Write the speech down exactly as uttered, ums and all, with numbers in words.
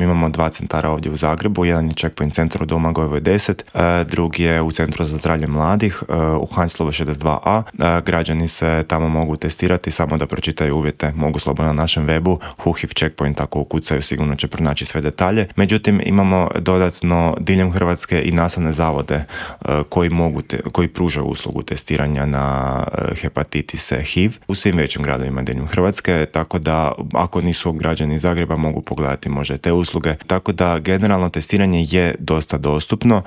Mi imamo dva centara ovdje u Zagrebu, jedan je Checkpoint centar u Domagojevoj deset, drugi je u Centru za zdravlje mladih u Heinzlovoj šezdeset dva a. Građani se tamo mogu testirati, samo da pročitaju uvjete, mogu slobodno na našem webu, Huhiv Checkpoint, ako ukucaju sigurno će pronaći sve detalje. Međutim, imamo dodatno diljem Hrvatske i nastavne zavode koji mogu, te, koji pružaju uslugu testiranja na hepatitise H I V u svim većim gradovima diljem Hrvatske, tako da ako nisu građani iz Zagreba mogu pogledati možda te usluge. Tako da generalno testiranje je dosta dostupno.